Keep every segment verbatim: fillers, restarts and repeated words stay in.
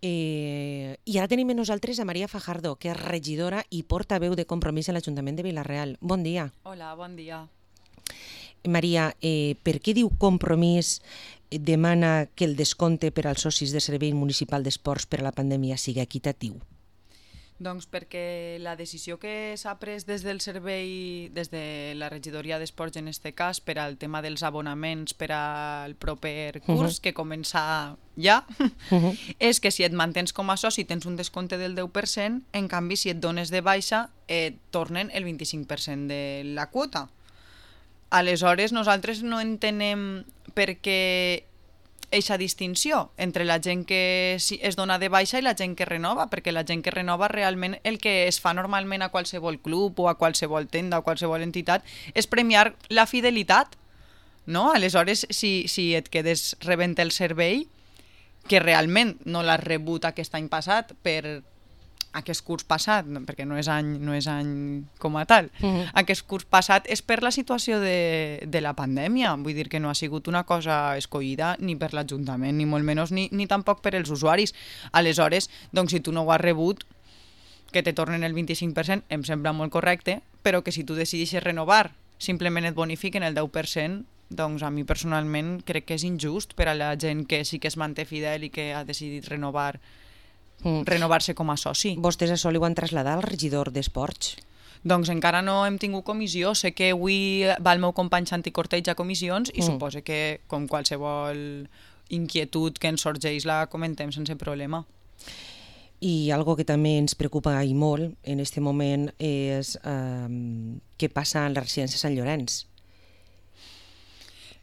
Eh, I ara tenim amb nosaltres a Maria Fajardo, que és regidora i portaveu de Compromís a l'Ajuntament de Vila-real. Bon dia. Hola, bon dia. Maria, eh, per què diu Compromís demana que el descompte per als socis de Servei Municipal d'Esports per a la pandèmia sigui equitatiu? Doncs perquè la decisió que s'ha pres des del servei, des de la regidoria d'esports en este cas, per al tema dels abonaments per al proper curs, uh -huh. que comença ja, uh -huh. és que si et mantens com a soci tens un descompte del deu per cent, en canvi si et dones de baixa et tornen el vint-i-cinc per cent de la quota. Aleshores nosaltres no entenem per què eixa distinció entre la gent que es dona de baixa i la gent que renova, perquè la gent que renova realment el que es fa normalment a qualsevol club o a qualsevol tenda o qualsevol entitat és premiar la fidelitat, no? Aleshores, si, si et quedes rebent el servei, que realment no l'has rebut aquest any passat per aquest curs passat, perquè no és any, no és any com a tal, uh-huh. aquest curs passat és per la situació de, de la pandèmia, vull dir que no ha sigut una cosa escollida ni per l'Ajuntament, ni molt menys, ni, ni tampoc per els usuaris. Aleshores, doncs si tu no ho has rebut, que te tornen el vint-i-cinc per cent, em sembla molt correcte, però que si tu decideixes renovar, simplement et bonifiquen el deu per cent, doncs a mi personalment crec que és injust per a la gent que sí que es manté fidel i que ha decidit renovar Mm. renovar-se com a soci. Vostès això li ho han traslladat al regidor d'Esports? Doncs encara no hem tingut comissió. Sé que avui va el meu company Santi Cortells a comissions i mm. suposo que com qualsevol inquietud que ens sorgeix la comentem sense problema. I algo que també ens preocupa i molt en aquest moment és eh, què passa en la residència Sant Llorenç.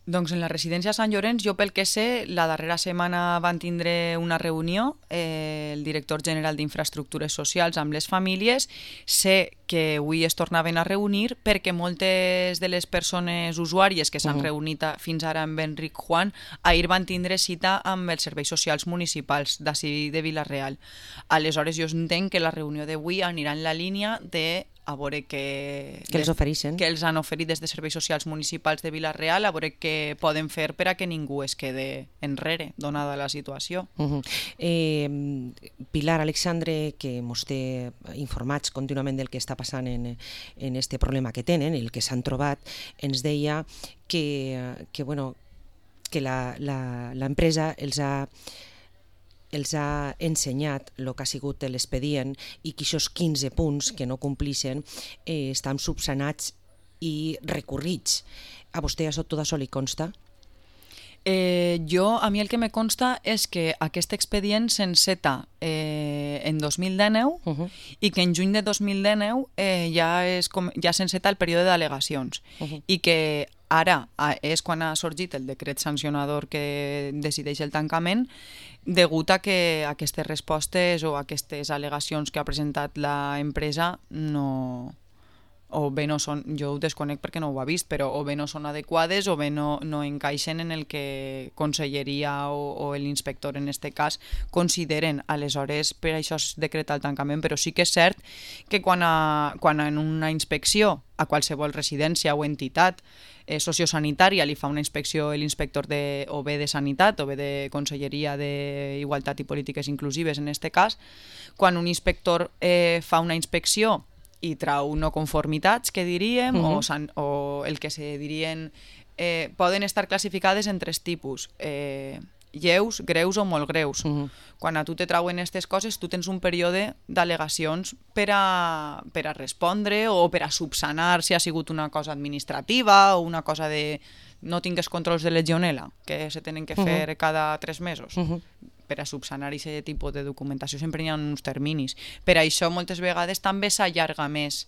Doncs en la residència Sant Llorenç, jo pel que sé, la darrera setmana van tindre una reunió, eh, el director general d'Infraestructures Socials amb les famílies. Sé que avui es tornaven a reunir perquè moltes de les persones usuàries que s'han uh-huh. reunit a, fins ara amb Enric Juan, ahir van tindre cita amb els serveis socials municipals d'ací de Vila-real. Aleshores jo entenc que la reunió d'avui anirà en la línia de a veure què... Que els ofereixen. Que els han oferit des de serveis socials municipals de Vila-real, a veure què poden fer per a que ningú es quede enrere, donada la situació. Uh-huh. eh, Pilar Alexandre, que ens té informats contínuament del que està passant en, en este problema que tenen, el que s'han trobat, ens deia que, que, bueno, que la, la, l'empresa els ha els ha ensenyat el que ha sigut l'expedient i que aquests quinze punts que no complixen eh, estan subsanats i recurrits. A vostè això, tot això li consta? Eh, jo, a mi el que me consta és que aquest expedient s'enceta eh, en dos mil dinou uh-huh. i que en juny de dos mil dinou eh, ja, és com, ja s'enceta el període d'al·legacions uh-huh. i que ara és quan ha sorgit el decret sancionador que decideix el tancament, degut a que aquestes respostes o aquestes al·legacions que ha presentat l'empresa no... o bé no són, jo ho desconec perquè no ho ha vist, però o bé no són adequades o bé no, no encaixen en el que Conselleria o, o l'inspector en este cas consideren. Aleshores, per això es decreta el tancament, però sí que és cert que quan, a, quan en una inspecció a qualsevol residència o entitat eh, sociosanitària li fa una inspecció l'inspector de, o bé de Sanitat o bé de Conselleria d'Igualtat i Polítiques Inclusives en este cas, quan un inspector eh, fa una inspecció i trau no conformitats, que diríem, uh-huh. o, san, o el que se dirien, eh, poden estar classificades en tres tipus, eh, lleus, greus o molt greus. Uh-huh. Quan a tu te trauen aquestes coses, tu tens un període d'al·legacions per a, per a respondre o per a subsanar si ha sigut una cosa administrativa o una cosa de no tingues controls de legionela, que se tenen que fer uh-huh. cada tres mesos. Uh-huh. Per a subsanar aquest tipus de documentació sempre hi ha uns terminis. Per això moltes vegades també s'allarga més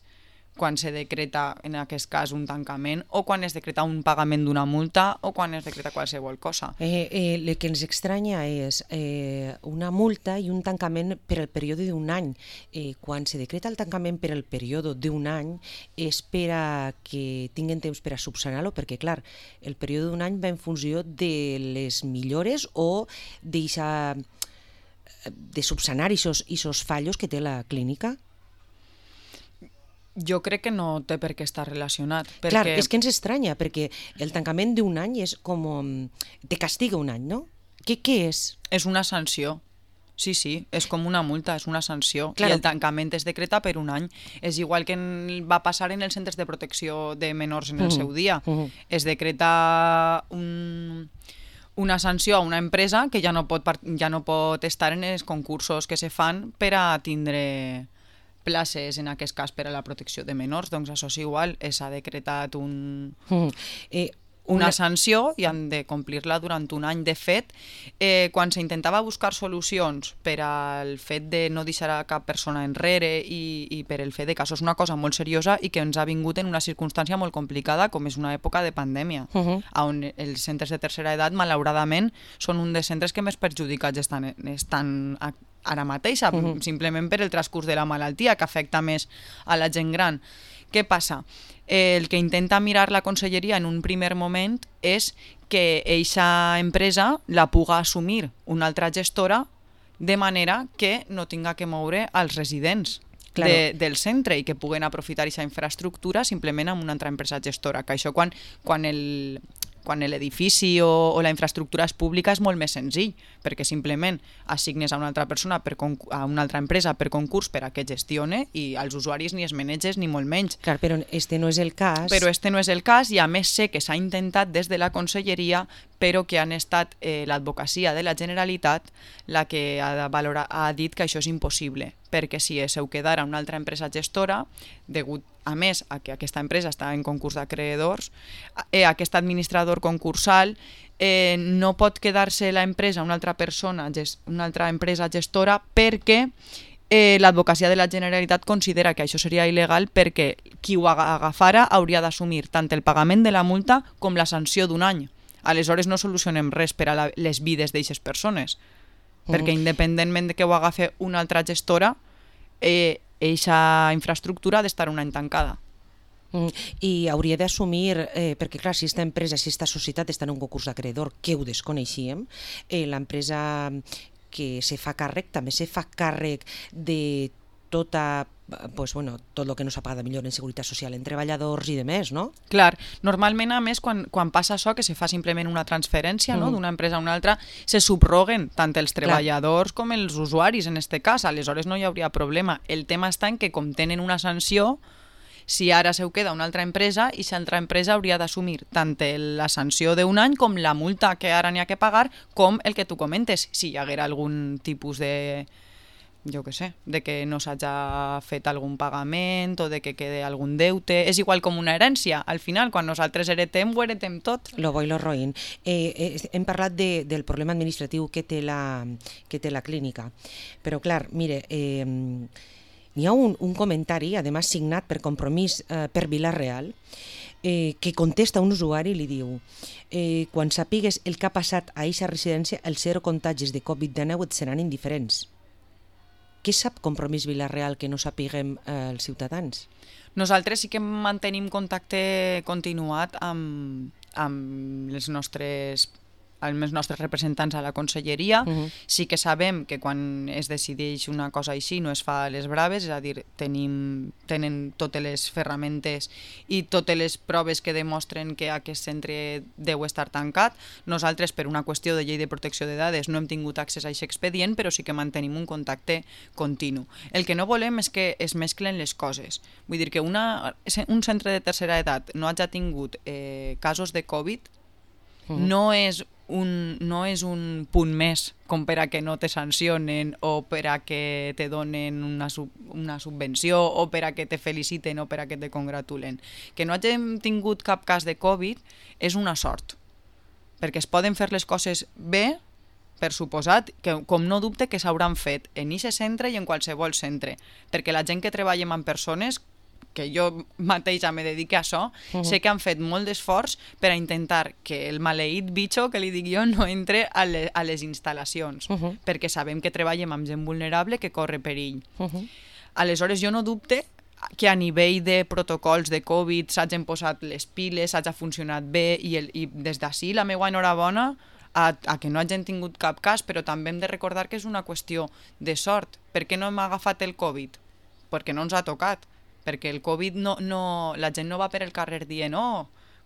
quan se decreta, en aquest cas, un tancament o quan es decreta un pagament d'una multa o quan es decreta qualsevol cosa. Eh, eh, el que ens estranya és eh, una multa i un tancament per al període d'un any. Eh, quan se decreta el tancament per al període d'un any és per a que tinguin temps per a subsanar-lo, perquè, clar, el període d'un any va en funció de les millores o deixar de subsanar aquests fallos que té la clínica. Jo crec que no té per què estar relacionat. Perquè... Clar, és que ens estranya, perquè el tancament d'un any és com... te castiga un any, no? Què, què és? És una sanció. Sí, sí, és com una multa, és una sanció. Claro. I el tancament es decreta per un any. És igual que en, va passar en els centres de protecció de menors en el Mhm. seu dia. Mhm. Es decreta un, una sanció a una empresa que ja no, pot, part- ja no pot estar en els concursos que se fan per a tindre places, en aquest cas per a la protecció de menors. Doncs això és igual, eh, s'ha decretat un... Mhm. Eh, una una- sanció i han de complir-la durant un any. De fet, eh, quan s'intentava buscar solucions per al fet de no deixar a cap persona enrere i, i per el fet de que això és una cosa molt seriosa i que ens ha vingut en una circumstància molt complicada com és una època de pandèmia, Mhm. on els centres de tercera edat, malauradament, són un dels centres que més perjudicats estan, estan a, ara mateix, Mhm. simplement per el transcurs de la malaltia, que afecta més a la gent gran. Què passa? Eh, el que intenta mirar la conselleria en un primer moment és que eixa empresa la puga assumir una altra gestora de manera que no tinga que moure als residents Claro. de, del centre i que puguen aprofitar aquesta infraestructura simplement amb una altra empresa gestora, que això quan, quan el quan l'edifici o, o la infraestructura és pública és molt més senzill, perquè simplement assignes a una altra persona, per a una altra empresa per concurs per a que gestione i als usuaris ni es maneges ni molt menys. Clar, però este no és el cas. Però este no és el cas i a més sé que s'ha intentat des de la conselleria, però que han estat eh, l'advocacia de la Generalitat la que ha, valora, ha dit que això és impossible, perquè si seu quedara una altra empresa gestora, degut a més a que aquesta empresa està en concurs d'acreedors, eh, aquest administrador concursal eh, no pot quedar-se la empresa una altra persona, una altra empresa gestora, perquè eh, l'advocacia de la Generalitat considera que això seria il·legal perquè qui ho agafara hauria d'assumir tant el pagament de la multa com la sanció d'un any. Aleshores no solucionem res per a la, les vides d'aquestes persones, mm. perquè independentment de que ho agafi una altra gestora, eh, eixa infraestructura ha d'estar un any tancada. Mm, I hauria d'assumir, eh, perquè clar, si aquesta empresa, si aquesta societat està en un concurs d'acreedor, que ho desconeixíem, eh, l'empresa que se fa càrrec també se fa càrrec de tota, pues, bueno, tot el que no s'ha pagat millor en seguretat social en treballadors i de més, no? Clar, normalment a més quan, quan passa això, que se fa simplement una transferència, mm. no?, d'una empresa a una altra, se subroguen tant els treballadors Clar. com els usuaris en este cas, aleshores no hi hauria problema. El tema està en que com tenen una sanció, si ara seu queda una altra empresa, i si altra empresa hauria d'assumir tant la sanció d'un any com la multa que ara n'hi ha que pagar, com el que tu comentes, si hi haguera algun tipus de... jo què sé, de que no s'hagi fet algun pagament o de que quede algun deute. És igual com una herència. Al final, quan nosaltres heretem, ho heretem tot. Lo bo i lo roïn. Eh, eh, hem parlat de, del problema administratiu que té la, que té la clínica. Però, clar, mire, eh, n'hi ha un, un comentari, además signat per Compromís eh, per Vila-real, eh, que contesta un usuari i li diu eh, quan sapigues el que ha passat a eixa residència, els zero contagis de covid dinou et seran indiferents. Què sap Compromís Vila-real que no sapiguem eh, els ciutadans? Nosaltres sí que mantenim contacte continuat amb, amb els nostres amb els nostres representants a la conselleria. Uh-huh. Sí que sabem que quan es decideix una cosa així no es fa a les braves, és a dir, tenim, tenen totes les ferramentes i totes les proves que demostren que aquest centre deu estar tancat. Nosaltres, per una qüestió de llei de protecció de dades, no hem tingut accés a aquest expedient, però sí que mantenim un contacte continu. El que no volem és que es mesclen les coses. Vull dir que una, un centre de tercera edat no hagi tingut eh, casos de Covid, uh-huh. no és Un, no és un punt més com per a que no te sancionen o per a que te donen una, sub, una subvenció o per a que te feliciten o per a que te congratulen. Que no hagin tingut cap cas de Covid és una sort, perquè es poden fer les coses bé, per suposat, que, com no dubte que s'hauran fet en aquest centre i en qualsevol centre, perquè la gent que treballem amb persones, que jo mateixa me dedique a això, uh-huh. sé que han fet molt d'esforç per a intentar que el maleït bitxo, que li dic jo, no entre a, le, a les instal·lacions, uh-huh. perquè sabem que treballem amb gent vulnerable que corre perill. Uh-huh. Aleshores, jo no dubte que a nivell de protocols de Covid s'hagin posat les piles, s'hagi funcionat bé, i, el, i des d'ací la meva enhorabona a, a que no hagin tingut cap cas, però també hem de recordar que és una qüestió de sort. Per què no hem agafat el Covid? Perquè no ens ha tocat. Perquè el Covid, no, no, la gent no va per el carrer dient oh,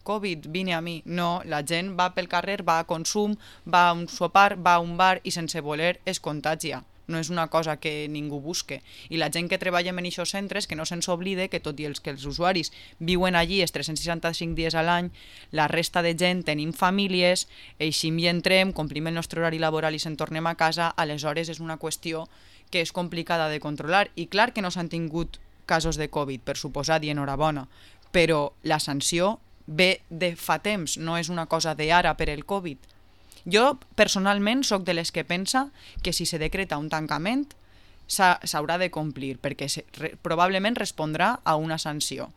Covid, vine a mi. No, la gent va pel carrer, va a consum, va a un sopar, va a un bar i sense voler es contagia. no és una cosa que ningú busque. I la gent que treballa en aquests centres, que no se'ns oblide que tot i els que els usuaris viuen allí els tres-cents seixanta-cinc dies a l'any, la resta de gent tenim famílies, eixim i entrem, complim el nostre horari laboral i se'n tornem a casa, aleshores és una qüestió que és complicada de controlar. I clar que no s'han tingut casos de Covid, per suposat, i enhorabona, però la sanció ve de fa temps, no és una cosa d'ara per el Covid. Jo, personalment, sóc de les que pensa que si se decreta un tancament s'haurà de complir, perquè se, re, probablement respondrà a una sanció,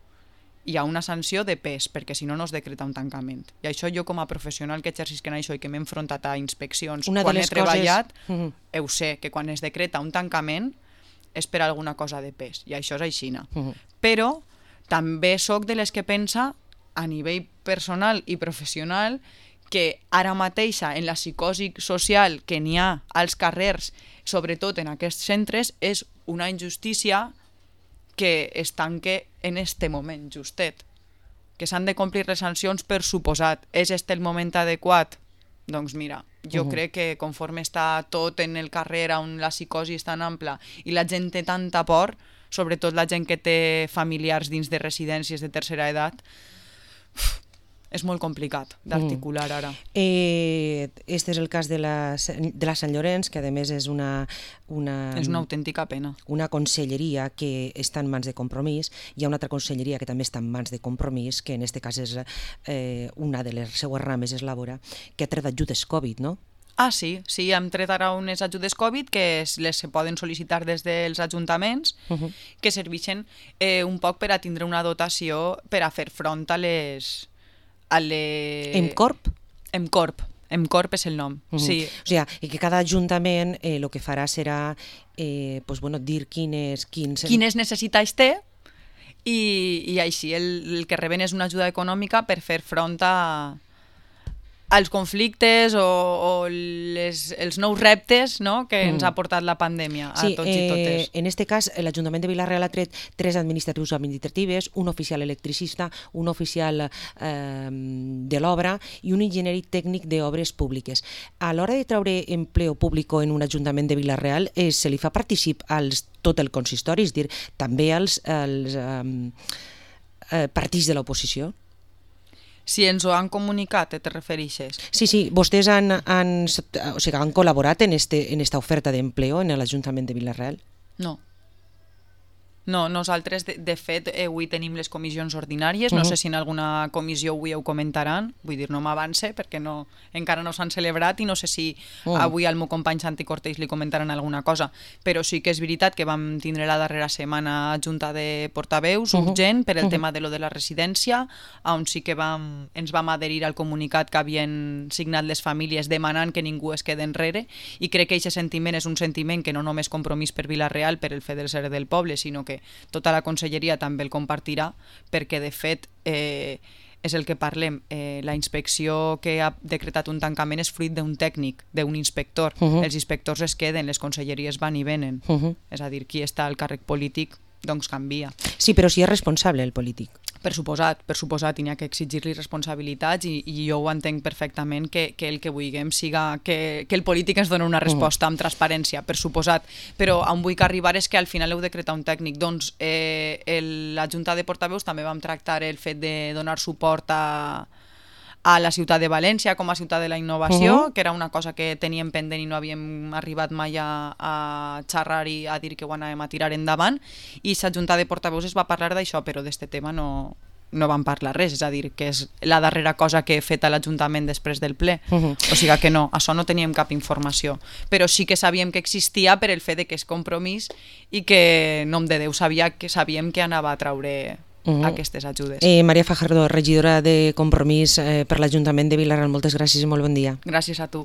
i a una sanció de pes, perquè si no, no es decreta un tancament. I això jo, com a professional que exercisc en això i que m'he enfrontat a inspeccions una quan he treballat, coses... uh-huh. ho sé, que quan es decreta un tancament és per alguna cosa de pes, i això és aixina. Uh-huh. Però també sóc de les que pensa, a nivell personal i professional, que ara mateixa en la psicosi social que n'hi ha als carrers, sobretot en aquests centres, és una injustícia que es tanque en este moment, justet. Que s'han de complir les sancions, per suposat. És este el moment adequat? Doncs mira, jo uh-huh. crec que conforme està tot en el carrer on la psicosi és tan ampla i la gent té tanta por, sobretot la gent que té familiars dins de residències de tercera edat, uf, és molt complicat d'articular ara. Eh, este és el cas de la, de la Sant Llorenç, que a més és una, una... És una autèntica pena. Una conselleria que està en mans de Compromís. Hi ha una altra conselleria que també està en mans de Compromís, que en aquest cas és eh, una de les seues rames, és Labora, que ha tret ajudes Covid, no? Ah, sí, sí, hem tret ara unes ajudes Covid que les se poden sol·licitar des dels ajuntaments, uh-huh. que serveixen eh, un poc per a tindre una dotació per a fer front a les... A les... Emcorp? Emcorp. Emcorp és el nom, uh-huh. sí. O sigui, i que cada ajuntament el eh, que farà serà eh, pues, bueno, dir quines... Quins... quines necessitats té i, i així el, el que reben és una ajuda econòmica per fer front a... als conflictes o, o les, els nous reptes, no?, que ens mm. ha portat la pandèmia a sí, tots i totes. Eh, en aquest cas, l'Ajuntament de Vila-real ha tret tres administratius administratives, un oficial electricista, un oficial eh, de l'obra i un enginyer tècnic d'obres públiques. A l'hora de treure empleo públic en un Ajuntament de Vila-real, eh, se li fa particip als tot el consistori, és dir, també als, als eh, eh, partits de l'oposició? Si ens ho han comunicat, te refereixes? Sí, sí, vostès han, han, o sigui, han col·laborat en, este, en esta oferta d'empleo en l'Ajuntament de Vila-real? No. No, nosaltres, de, de fet, eh, avui tenim les comissions ordinàries, uh-huh. no sé si en alguna comissió avui ho comentaran, vull dir, no m'avance perquè no, encara no s'han celebrat i no sé si uh-huh. avui al meu company Santi Cortés li comentaran alguna cosa, però sí que és veritat que vam tindre la darrera setmana junta de portaveus uh-huh. urgent per el uh-huh. tema de lo de la residència, on sí que vam, ens vam adherir al comunicat que havien signat les famílies demanant que ningú es quede enrere, i crec que aquest sentiment és un sentiment que no només Compromís per Vila-real per el fet de ser del poble, sinó que tota la conselleria també el compartirà, perquè de fet eh, és el que parlem, eh, la inspecció que ha decretat un tancament és fruit d'un tècnic, d'un inspector. Uh-huh. Els inspectors es queden, les conselleries van i venen. Uh-huh. És a dir, qui està al càrrec polític doncs canvia. Sí, però si és responsable el polític. Per suposat, per suposat, n'hi ha que exigir-li responsabilitats i, i jo ho entenc perfectament que, que el que vulguem siga que, que el polític ens doni una resposta amb transparència, per suposat, però on vull que arribar és que al final heu decretat un tècnic. Doncs eh, el, la Junta de Portaveus també vam tractar el fet de donar suport a a la ciutat de València com a ciutat de la innovació, uh-huh. que era una cosa que teníem pendent i no havíem arribat mai a, a xerrar i a dir que ho anàvem a tirar endavant, i la Junta de Portaveus es va parlar d'això, però d'este tema no, no vam parlar res, és a dir, que és la darrera cosa que he fet a l'Ajuntament després del ple. Uh-huh. O sigui que no, això no teníem cap informació, però sí que sabíem que existia per el fet de que és Compromís i que, nom de Déu, sabia que sabíem que anava a traure uh-huh. aquestes ajudes. Eh, Maria Fajardo, regidora de Compromís eh, per l'Ajuntament de Vila-real, moltes gràcies i molt bon dia. Gràcies a tu.